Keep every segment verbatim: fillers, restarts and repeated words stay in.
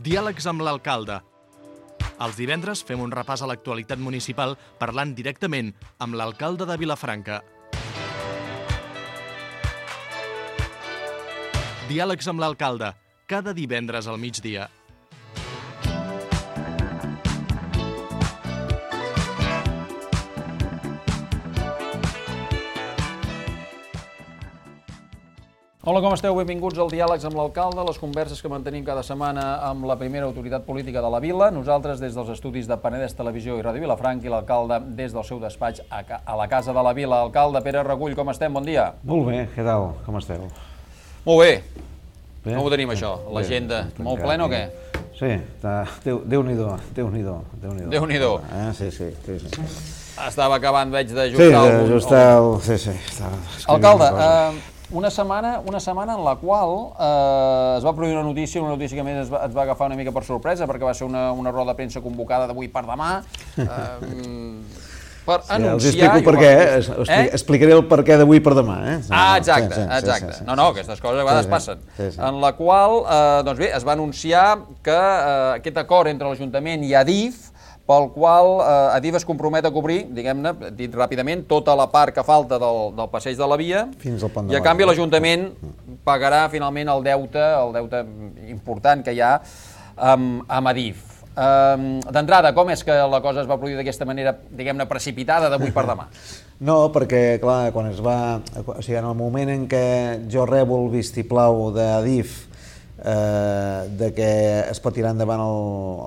Diàlegs amb l'alcalde. Els divendres fem un repàs a l'actualitat municipal parlant directament amb l'alcalde de Vilafranca. Diàlegs amb l'alcalde, cada divendres al migdia. Hola, com esteu? Benvinguts al Diàlegs amb l'alcalde, les converses que mantenim cada setmana amb la primera autoritat política de la vila, nosaltres des dels estudis de Penedès Televisió i Ràdio Vilafranca i l'alcalde des del seu despatx a la Casa de la Vila. Alcalde Pere Regull, com estem? Bon dia. Molt bé, què tal? Com esteu? Molt bé. Com ho tenim, això? L'agenda molt plena o què? Sí, Déu-n'hi-do, Déu-n'hi-do. Déu-n'hi-do. Sí, sí, sí. Estava acabant, veig, d'ajustar el... Sí, d'ajustar el... Sí, sí. Alcalde, Una setmana, una setmana en la qual eh, es va produir una notícia, una notícia que a més ens va, ens va agafar una mica per sorpresa, perquè va ser una, una roda de premsa convocada d'avui per demà, eh, per sí, anunciar... Els explico per què, eh? Explicaré el per què d'avui per demà. Eh? Ah, exacte, sí, sí, exacte. Sí, sí, sí. No, no, aquestes coses a vegades sí, sí, passen. Sí, sí. En la qual, eh, doncs bé, es va anunciar que eh, aquest acord entre l'Ajuntament i Adif, pel qual eh, Adif es compromet a cobrir, diguem-ne, dit ràpidament, tota la part que falta del, del passeig de la via, fins al pont de i a canvi l'Ajuntament pagarà finalment el deute, el deute important que hi ha amb, amb Adif. Um, D'entrada, com és que la cosa es va produir d'aquesta manera, diguem-ne, precipitada d'avui per demà? No, perquè, clar, quan es va... O sigui, en el moment en què jo rebo el vistiplau d'Adif Eh, de que es pot tirar endavant el,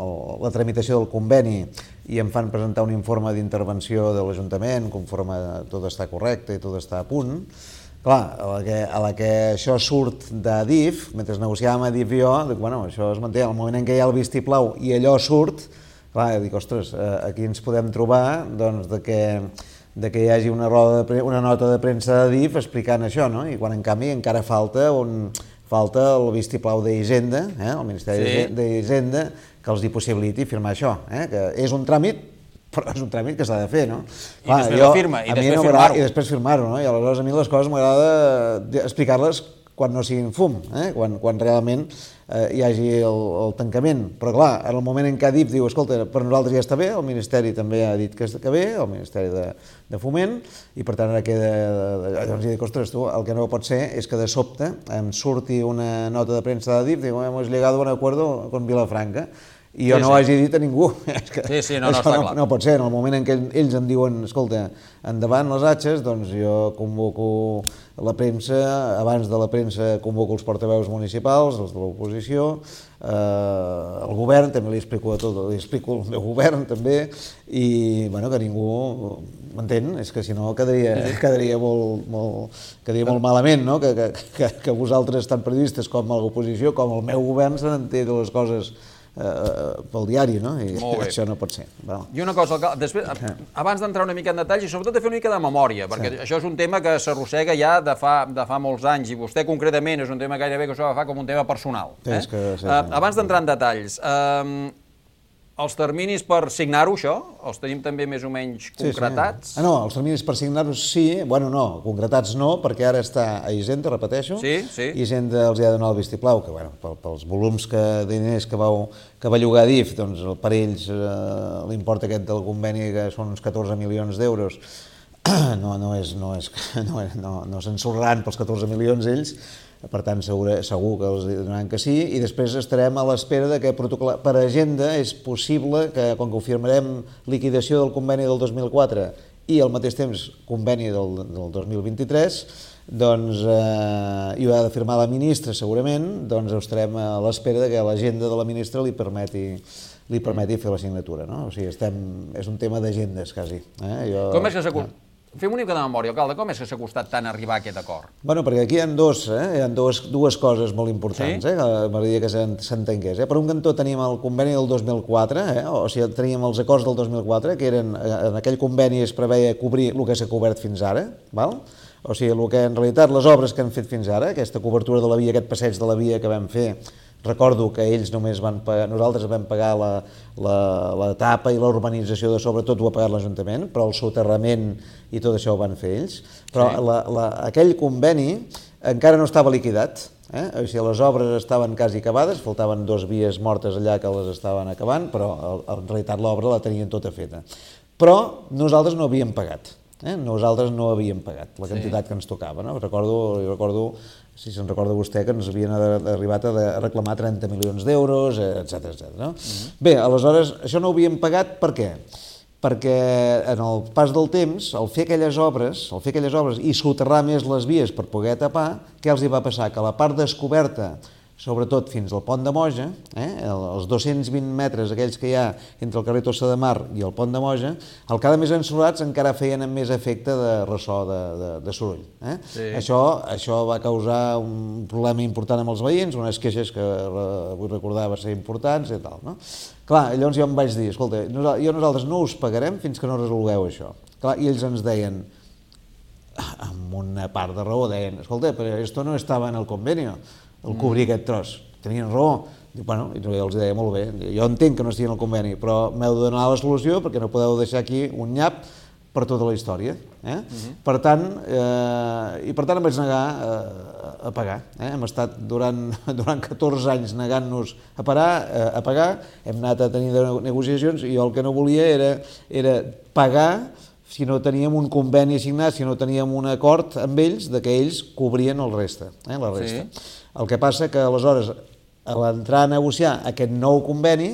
el, la tramitació del conveni i em fan presentar un informe d'intervenció de l'Ajuntament conforme tot està correcte i tot està a punt. Clar, a la que, a la que això surt d'Adif, mentre negociàvem Adif i jo, dic, bueno, això es manté, al moment en què hi ha el vistiplau i allò surt, clar, dic, ostres, aquí ens podem trobar doncs, de que de que hi hagi una, roda de, una nota de premsa d'Adif explicant això, no? I quan en canvi encara falta un... falta el vistiplau d'Hisenda, eh, el Ministeri sí. d'Hisenda, que els hi possibiliti firmar això, eh, que és un tràmit, però és un tràmit que s'ha de fer, no? I Clar, després jo, firma, i després no firmar-ho. I després firmar-ho, no? I aleshores a mi les coses m'agrada explicar-les quan no siguin fum, eh? quan, quan realment eh, hi hagi el, el tancament. Però clar, en el moment en què Adif diu, escolta, per nosaltres ja està bé, el Ministeri també ha dit que està bé, el Ministeri de, de Foment, i per tant ara queda... Llavors jo dic, ostres, tu, el que no pot ser és que de sobte em surti una nota de premsa d'Adif, diu, hemos llegado a un acuerdo con Vilafranca, i jo sí, no ho sí. hagi dit a ningú. És que sí, sí, no, no, està no, clar. No pot ser, en el moment en què ells em diuen, escolta, endavant les atxes, doncs jo convoco la premsa, abans de la premsa convoco els portaveus municipals, els de l'oposició, eh, el govern, també li explico a tot, li explico el meu govern també, i bueno, que ningú m'entén, és que si no quedaria, quedaria, molt, molt, quedaria molt malament, no? que, que, que vosaltres, tant periodistes com a l'oposició, com el meu govern, se n'entén de les coses Uh, pel diari, no? I això no pot ser. Bueno. I una cosa, després, abans d'entrar una mica en detalls i sobretot de fer una mica de memòria, perquè sí. això és un tema que s'arrossega ja de fa, de fa molts anys i vostè concretament és un tema gairebé que s'ho agafar com un tema personal. Sí, eh? és que, sí, sí. Uh, abans d'entrar en detalls, uh, els terminis per signar-ho, això, els tenim també més o menys concretats? Sí, sí. Ah, no, els terminis per signar-ho sí, bueno, no, concretats no, perquè ara està a Hisenda, repeteixo, sí, sí. Hisenda els ha de donar el vistiplau, que bueno, pels volums que, de diners que, vau, que va llogar Adif, doncs per ells eh, l'import aquest del conveni, que són uns catorze milions d'euros, no, no, és, no, és, no, no, no s'ensorraran pels catorze milions ells, per tant segur, segur que els donaran que sí, i després estarem a l'espera de que per agenda és possible que quan confirmarem liquidació del conveni del dos mil quatre i al mateix temps conveni del, del dos mil vint-i-tres, doncs, eh, i ho ha de firmar la ministra segurament, doncs estarem a l'espera de que l'agenda de la ministra li permeti li permeti fer la signatura, no? O sigui, estem, és un tema d'agendes, quasi. Eh? Jo, Com és que s'ha... Fem una mica de memòria, alcalde, com és que s'ha costat tant arribar a aquest acord? Bueno, perquè aquí hi ha, dos, eh? hi ha dues, dues coses molt importants, sí? eh? que m'agradaria que s'entengués. Eh? Per un cantó teníem el conveni del dos mil quatre, eh? o sigui, teníem els acords del dos mil quatre, que eren, en aquell conveni es preveia cobrir el que s'ha cobert fins ara, val? O sigui, el que en realitat les obres que han fet fins ara, aquesta cobertura de la via, aquest passeig de la via que vam fer, recordo que ells només van pagar, nosaltres vam pagar la, la, la tapa i la urbanització de sobretot ho ha pagat l'Ajuntament, però el soterrament i tot això ho van fer ells. Però sí. la, la, aquell conveni encara no estava liquidat. Eh? O sigui, les obres estaven quasi acabades, faltaven dos vies mortes allà que les estaven acabant, però en realitat l'obra la tenien tota feta. Però nosaltres no havíem pagat. Eh? Nosaltres no havíem pagat la quantitat sí. que ens tocava. No? Recordo, recordo, si se'n recorda vostè, que ens havien arribat a reclamar trenta milions d'euros, etcètera, etcètera. No? Uh-huh. Bé, aleshores, això no ho havíem pagat per què? Perquè en el pas del temps, al fer aquelles obres, al fer aquelles obres i soterrar més les vies per poder tapar, què els hi va passar? Que la part descoberta, sobretot fins al pont de Moja, eh, els dos-cents vint metres aquells que hi ha entre el carrer Tossa de Mar i el pont de Moja, al quedar més ensorrats encara feien amb més efecte de ressò, de, de, de soroll. Eh? Sí. Això, això va causar un problema important amb els veïns, unes queixes que vull recordar va ser importants i tal. No? Clar, llavors jo em vaig dir, escolta, jo nosaltres no us pagarem fins que no resolgueu això. Clar, i ells ens deien, amb una part de raó, deien, escolta, però esto no estava en el convenio, el cobrir aquest tros. Tenien raó. I, bueno, i jo els deia, molt bé, jo entenc que no estigui en el conveni, però m'heu de donar la solució perquè no podeu deixar aquí un nyap per tota la història. Eh? Uh-huh. Per tant, eh, i per tant em vaig negar eh, a pagar. Eh? Hem estat durant, durant catorze anys negant-nos a, parar, eh, a pagar, hem anat a tenir negociacions i jo el que no volia era, era pagar si no teníem un conveni assignat, si no teníem un acord amb ells de que ells cobrien el resta, eh, la resta. Sí. El que passa que aleshores, a l'entrar a negociar aquest nou conveni,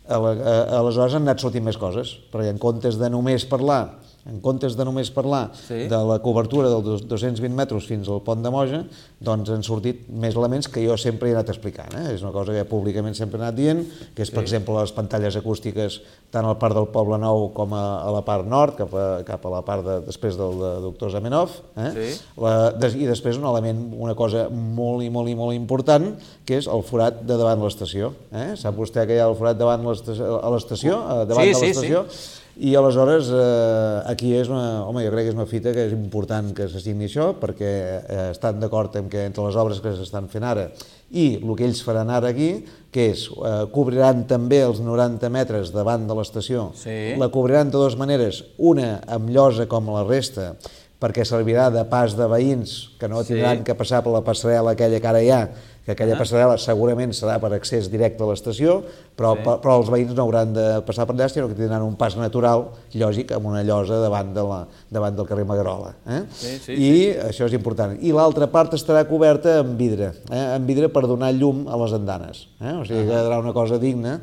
aleshores han anat sortint més coses, perquè en comptes de només parlar en comptes de només parlar sí. de la cobertura dels dos-cents vint metres fins al pont de Moja, doncs han sortit més elements que jo sempre he anat explicant. Eh? És una cosa que públicament sempre he anat dient, que és, per sí. exemple, les pantalles acústiques tant al parc del Poble Nou com a, a la part nord, cap a, cap a la part de, després del de doctor Zamenhof. Eh? Sí. La, des, I després un element, una cosa molt i molt i molt important, que és el forat de davant de l'estació. Eh? Sap vostè que hi ha el forat davant l'estació, a l'estació, davant sí, de l'estació? Sí, sí. I aleshores eh, aquí és una, home, jo crec que és una fita que és important que s'assigni això perquè eh, estan d'acord en que entre les obres que s'estan fent ara i el que ells faran ara aquí, que és eh, cobriran també els noranta metres davant de l'estació, sí. La cobriran de dues maneres, una amb llosa com la resta, perquè servirà de pas de veïns que no tindran sí. que passar per la passarel·la aquella que ara hi ha, que aquella ah. passarel·la segurament serà per accés directe a l'estació, però, sí. però els veïns no hauran de passar per allà, sinó que tindran un pas natural, lògic, amb una llosa davant, de la, davant del carrer Magarola. Eh? Sí, sí, I sí. això és important. I l'altra part estarà coberta amb vidre, eh? amb vidre per donar llum a les andanes. Eh? O sigui, quedarà una cosa digna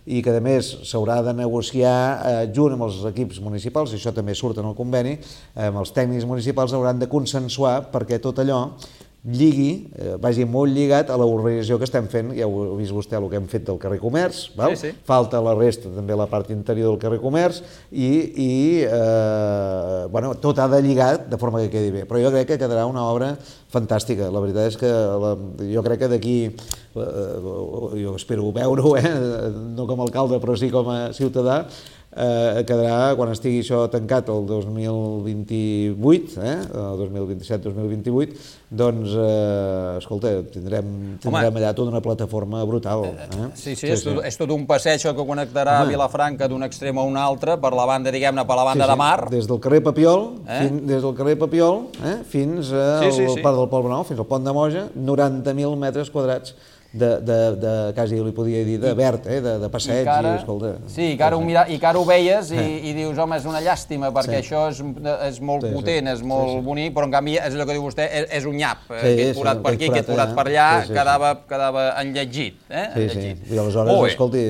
i que, a més, s'haurà de negociar eh, junt amb els equips municipals, i això també surt en el conveni, eh, amb els tècnics municipals hauran de consensuar perquè tot allò lligui, eh, vagi molt lligat a la urbanització que estem fent. Ja ho ha vist vostè el que hem fet del carrer Comerç, val? Sí, sí. Falta la resta també la part interior del carrer Comerç i, i eh, bueno, tot ha de lligar de forma que quedi bé, però jo crec que quedarà una obra fantàstica. La veritat és que la, jo crec que d'aquí eh, jo espero veure-ho, eh, no com a alcalde però sí com a ciutadà, Eh, quedarà, quan estigui això tancat el dos mil vint-i-vuit, eh, el dos mil vint-i-set dos mil vint-i-vuit, doncs, eh, escolta, tindrem, tindrem allà tota una plataforma brutal. Eh? Sí, sí, sí, és, sí. Tot, és tot un passeig que connectarà Home. Vilafranca d'un extrem a un altre, per la banda, diguem-ne, per la banda sí, sí. de mar. Des del carrer Papiol, eh? fin, des del carrer Papiol eh, fins al sí, sí, sí. parc del Poble Nou, fins al pont de Moja, noranta mil metres quadrats de, de, de, quasi li podia dir, de verd, eh, de, de passeig, i, ara, i escolta... Sí, i que ara ho, mira, i que ara ho veies i, eh. i dius, home, és una llàstima, perquè sí. això és, és molt sí, potent, sí. és molt sí, sí. bonic, però en canvi, és allò que diu vostè, és, és un nyap, sí, aquest forat sí, per aquí, aquest forat per allà, sí, sí, quedava, sí. quedava enlletgit, eh? Sí, enlletgit. Sí, i aleshores, oh, escolti,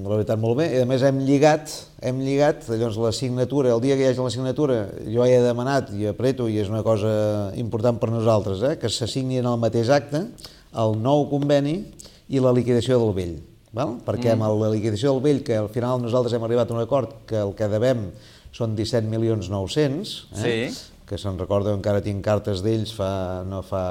la veritat, molt bé, i a més hem lligat, hem lligat, llavors la signatura, el dia que hi hagi la signatura, jo he demanat i apreto, i és una cosa important per nosaltres, eh, que s'assigni en el mateix acte el nou conveni i la liquidació del vell, val? Perquè amb la liquidació del vell, que al final nosaltres hem arribat a un acord que el que devem són disset milions nou-cents, eh? Sí. Que se'n recorda, encara tinc cartes d'ells fa, no, fa,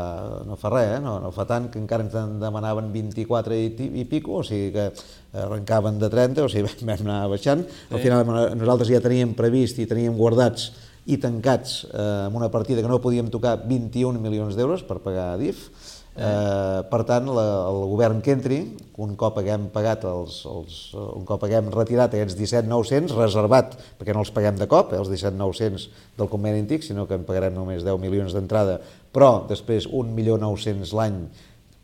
no fa res, eh? no, no fa tant, que encara ens en demanaven vint-i-quatre i, i pico, o sigui que arrencaven de trenta, o sigui vam anar baixant. Sí. Al final nosaltres ja teníem previst i teníem guardats i tancats eh, amb una partida que no podíem tocar vint-i-un milions d'euros per pagar a D I F. Eh, per tant, la, el govern que entri, un cop haguem pagat els, els, un cop haguem retirat aquests disset mil nou-cents, reservat, perquè no els paguem de cop, eh, els disset mil nou-cents del conveni antic, sinó que en pagarem només deu milions d'entrada, però després un milió nou-cents l'any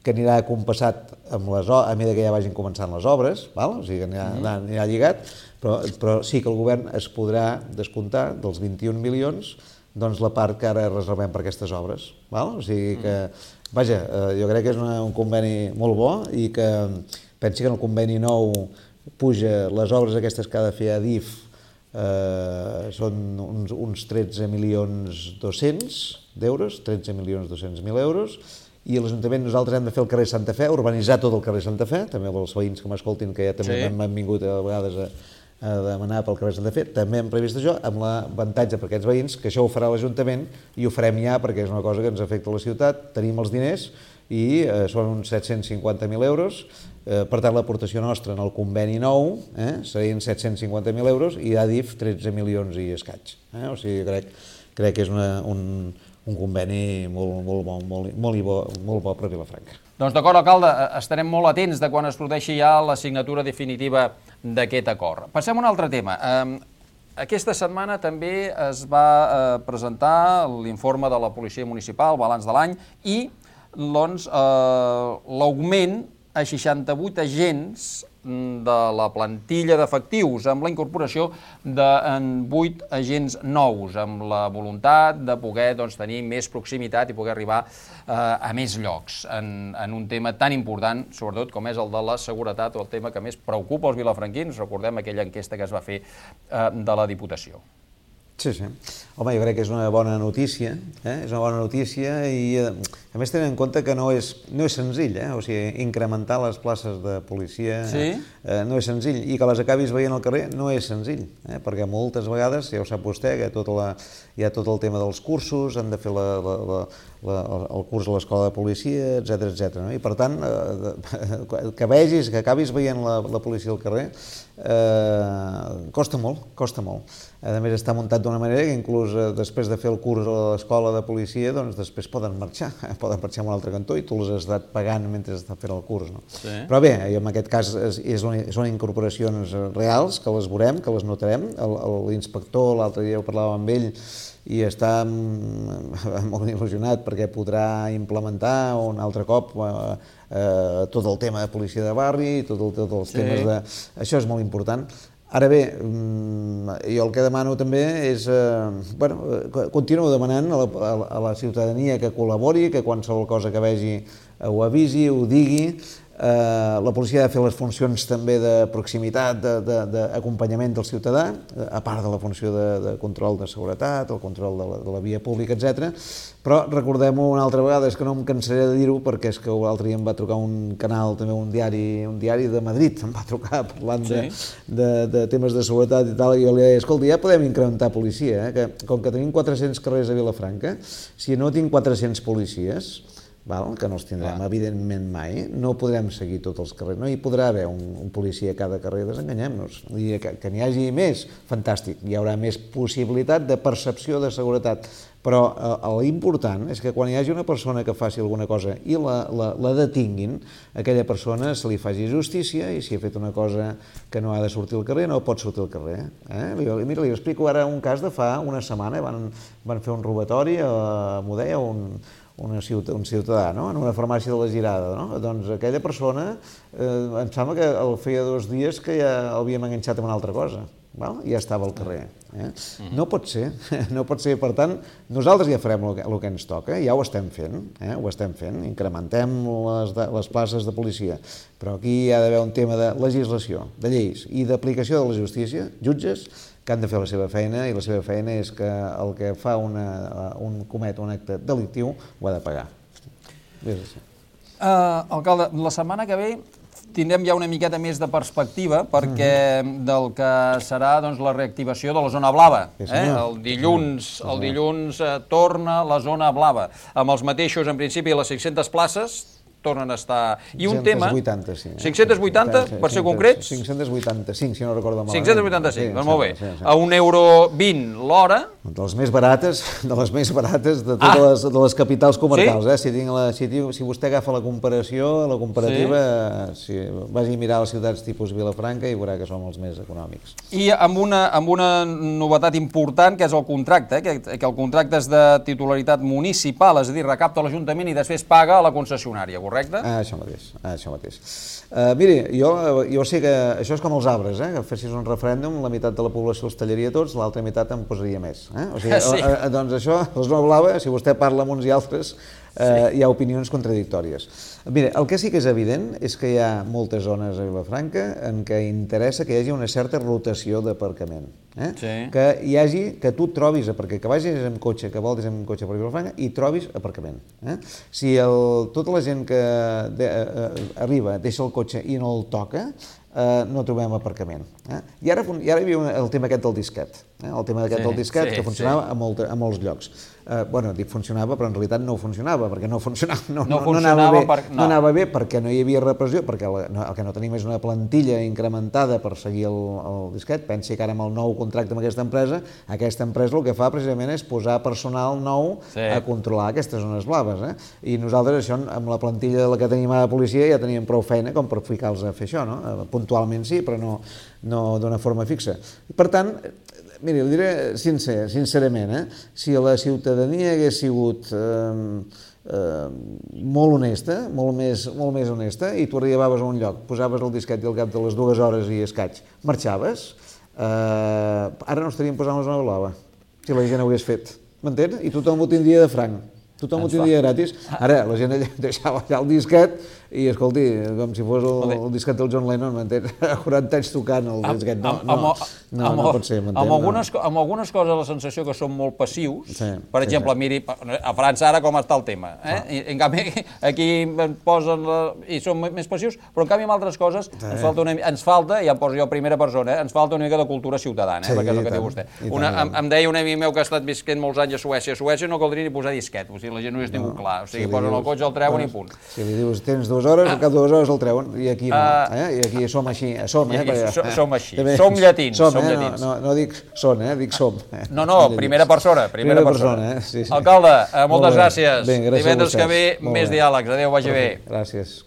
que anirà compassat amb les, a mesura que ja vagin començant les obres, val? O sigui que anirà, mm. anirà lligat, però, però sí que el govern es podrà descomptar dels vint-i-un milions doncs la part que ara reservem per aquestes obres. Val? O sigui que, vaja, jo crec que és una, un conveni molt bo i que pensi que en el conveni nou puja les obres aquestes que ha de fer Adif, eh, són uns, uns tretze milions dos-cents d'euros, tretze milions dos-cents mil euros, i a l'Ajuntament nosaltres hem de fer el carrer Santa Fe, urbanitzar tot el carrer Santa Fe, també els veïns que m'escoltin, que ja també sí. m'han vingut a vegades a, a demanar pel carrer Santa Fe, també hem previst això, amb l'avantatge per aquests veïns, que això ho farà l'Ajuntament i ho farem ja perquè és una cosa que ens afecta a la ciutat, tenim els diners i eh, són uns set-cents cinquanta mil euros, eh, per tant l'aportació nostra en el conveni nou eh, serien set-cents cinquanta mil euros i Adif tretze milions i escaig. Eh? O sigui, crec, crec que és una, un, un conveni molt, molt, bo, molt, molt, bo, molt bo per Vilafranca. Doncs d'acord, alcalde, estarem molt atents de quan es produeixi ja la signatura definitiva d'aquest acord. Passem a un altre tema. Aquesta setmana també es va presentar l'informe de la Policia Municipal, balanç de l'any, i doncs, l'augment a seixanta-vuit agents de la plantilla d'efectius, amb la incorporació de vuit agents nous, amb la voluntat de poder doncs, tenir més proximitat i poder arribar eh, a més llocs en, en un tema tan important, sobretot com és el de la seguretat o el tema que més preocupa els vilafranquins. Recordem aquella enquesta que es va fer eh, de la Diputació. Sí, sí. Home, jo crec que és una bona notícia, eh? és una bona notícia i a més tenint en compte que no és, no és senzill, eh? O sigui, incrementar les places de policia sí? eh, no és senzill i que les acabis veient al carrer no és senzill, eh? Perquè moltes vegades, ja ho sap vostè, que tota la, hi ha tot el tema dels cursos, han de fer la, la, la, la, el curs a l'escola de policia, etcètera, etcètera. No? I per tant, eh, que vegis, que acabis veient la, la policia al carrer, eh, costa molt, costa molt. A més, està muntat d'una manera que inclús eh, després de fer el curs a l'escola de policia, doncs després poden marxar, eh? poden marxar a un altre cantó i tu els has estat pagant mentre estàs fent el curs. No? Sí. Però bé, en aquest cas és, és una, són incorporacions reals, que les veurem, que les notarem. L'inspector, l'altre dia ho parlàvem amb ell, i està molt il·lusionat perquè podrà implementar un altre cop eh, eh, tot el tema de policia de barri, tot el, tots els sí. temes de... Això és molt important. Ara bé, jo el que demano també és, eh, bueno, continuo demanant a la, a la ciutadania que col·labori, que qualsevol cosa que vegi ho avisi, ho digui. Eh, la policia ha de fer les funcions també de proximitat, d'acompanyament de, de, del ciutadà, a part de la funció de, de control de seguretat, el control de la, de la via pública, etcètera. Però recordem-ho una altra vegada, és que no em cansaré de dir-ho, perquè és que l'altre dia em va trucar un canal, també un diari, un diari de Madrid, em va trucar parlant sí. de, de, de temes de seguretat i tal, i jo li deia, escolta, ja podem incrementar policia, eh? que com que tenim quatre-cents carrers a Vilafranca, si no tinc quatre-cents policies, val, que no els tindrem, ah. evidentment mai, no podrem seguir tots els carrers, no hi podrà haver un, un policia a cada carrer, desenganyem-nos, i que, que n'hi hagi més, fantàstic, hi haurà més possibilitat de percepció de seguretat, però eh, l'important és que quan hi hagi una persona que faci alguna cosa i la, la, la detinguin, aquella persona se li faci justícia i si ha fet una cosa que no ha de sortir al carrer, no pot sortir al carrer. Eh? Mira, li explico ara un cas de fa una setmana, van, van fer un robatori a Modella, un Una ciutadà, un ciutadà, no? En una farmàcia de la Girada, no? Doncs aquella persona, eh, em sembla que el feia dos dies que ja l'havíem enganxat amb una altra cosa, val? I ja estava al carrer. Eh? No pot ser, no pot ser, per tant, nosaltres ja farem el que, el que ens toca, ja ho estem fent, eh? ho estem fent, incrementem les, de, les places de policia, però aquí hi ha d'haver un tema de legislació, de lleis i d'aplicació de la justícia, jutges, que han de fer la seva feina, i la seva feina és que el que fa una, un comet un acte delictiu ho ha de pagar. Uh, alcalde, la setmana que ve tindrem ja una miqueta més de perspectiva perquè del que serà doncs, la reactivació de la zona blava. Eh? El dilluns, el dilluns eh, torna la zona blava, amb els mateixos, en principi, les cinc-centes places, tornen a estar... I un tema... cinc-cents vuitanta, sí. cinc-cents vuitanta, per ser concrets? cinc-cents vuitanta-cinc, si no recordo malament. cinc-cents vuitanta-cinc, doncs molt bé. A un euro vint l'hora... De les més barates, de les més barates de totes ah. les, de les capitals comarcals. Sí? Eh? Si, tinc la, si, si vostè agafa la comparació, la comparativa, sí. si vagi a mirar les ciutats tipus Vilafranca i veurà que som els més econòmics. I amb una, amb una novetat important, que és el contracte, eh? que, que el contracte és de titularitat municipal, és a dir, recapta l'Ajuntament i després paga a la concessionària, correcte? correcte? Ah, això mateix, ah, això mateix. Uh, miri, jo, jo sé que això és com els arbres, eh? Que fessis un referèndum, la meitat de la població els tallaria tots, l'altra meitat en posaria més. Eh? O sigui, sí. uh, doncs això, la zona blava, si vostè parla amb uns i altres, uh, sí. hi ha opinions contradictòries. Mira, el que sí que és evident és que hi ha moltes zones a Vilafranca en què interessa que hi hagi una certa rotació d'aparcament. Eh? Sí. Que hi hagi, que tu trobis, perquè que vagis amb cotxe, que voltis amb cotxe per Vilafranca, i trobis aparcament. Eh? Si el, tota la gent que de, uh, arriba, deixa el cotxe i no el toca, Uh, no trobem aparcament. Eh? I ara, i ara hi havia el tema aquest del disquet, eh? el tema aquest sí, del disquet sí, que funcionava sí. a, molt, a molts llocs. Uh, bueno, dic funcionava, però en realitat no funcionava, perquè no funcionava, no, no, no, funcionava no, anava, bé, per, no. no anava bé perquè no hi havia repressió, perquè el, no, el que no tenim és una plantilla incrementada per seguir el, el disquet. Pensi que ara amb el nou contracte amb aquesta empresa, aquesta empresa el que fa precisament és posar personal nou sí. a controlar aquestes zones blaves. Eh? I nosaltres això, amb la plantilla de la que tenim a la policia, ja teníem prou feina com per ficar-los a fer això, no? Puntualment sí, però no, no d'una forma fixa. Per tant, miri, ho diré sincer, sincerament, eh? Si la ciutadania hagués sigut eh, eh, molt honesta, molt més, molt més honesta, i tu arribaves a un lloc, posaves el disquet i al cap de les dues hores i escaig marxaves, eh, ara no estaríem posant la zona blava, si la gent ho hagués fet. M'entens? I tothom ho tindria de franc. Tothom ho tindria gratis. Ara, la gent deixava allà el disquet i, escolti, com si fos el, el disquet del John Lennon, m'entens? A quaranta anys tocant el disquet. No, no, no, no pot ser, m'entens? Amb algunes, amb algunes coses la sensació que són molt passius. Sí, per exemple, sí, sí. Miri, a França ara com està el tema. Eh? I, en canvi, aquí posen la, i són més passius, però en canvi amb altres coses sí. ens, falta una, ens falta, ja em poso jo primera persona, eh? ens falta una mica de cultura ciutadana, eh? sí, perquè és el que diu vostè. Una, em, em deia un amic meu que ha estat visquent molts anys a Suècia. A Suècia no caldria ni posar disquet, o sigui, la gent no hi has tingut clar. O sigui, posen el cotxe, el treuen i punt. Si li dius, tens dues hores, al cap de dues hores el treuen, i aquí no. I aquí som així, som, eh? Som així, som llatins, som llatins. No dic són, eh? Dic som. No, no, primera persona, primera persona. Alcalde, moltes gràcies. Divendres que ve, més diàlegs. Adéu, vagi bé. Gràcies.